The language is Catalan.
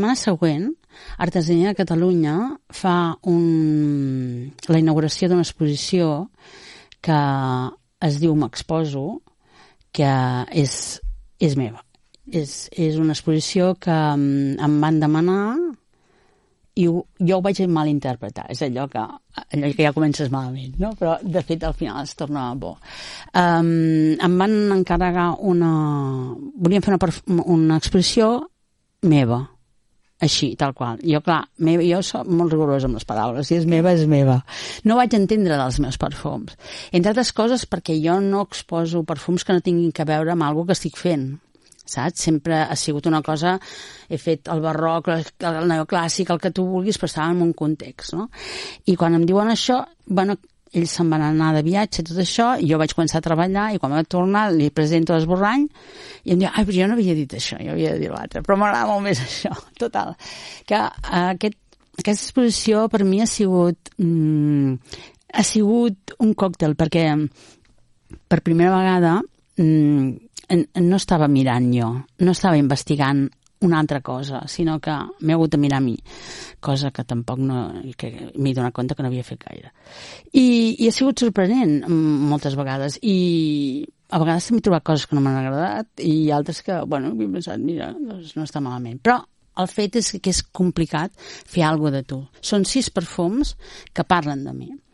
La setmana següent, Artesania de Catalunya fa la inauguració d'una exposició que es diu M'exposo, que és meva. És una exposició que em van demanar i jo ho vaig malinterpretar. És allò que ja comences malament, no? Però de fet al final es torna bo. Em van encarregar volíem fer una exposició meva, així, tal qual. Jo, clar, jo soc molt rigorosa amb les paraules. Si és meva, és meva. No vaig entendre dels meus perfums. Entre altres coses perquè jo no exposo perfums que no tinguin a veure amb alguna que estic fent. Saps? Sempre ha sigut una cosa... He fet el barroc, el neoclàssic, el que tu vulguis, però estava en un context, no? I quan em diuen això, bueno, ells se'n van anar de viatge, tot això, i jo vaig començar a treballar, i quan vaig tornar li presento l'esborrany, i em diu, però jo no havia dit això, jo havia dit l'altre, però m'agrada molt més això. Total, que aquesta exposició per mi ha sigut un còctel, perquè per primera vegada no estava mirant jo, no estava investigant una altra cosa, sinó que m'he hagut de mirar a mi, cosa que tampoc m'he donat compte que no havia fet gaire. I ha sigut sorprenent moltes vegades, i a vegades m'he trobat coses que no m'han agradat i altres que, bueno, he pensat, mira, doncs no està malament. Però el fet és que és complicat fer alguna cosa de tu. Són 6 perfums que parlen de mi.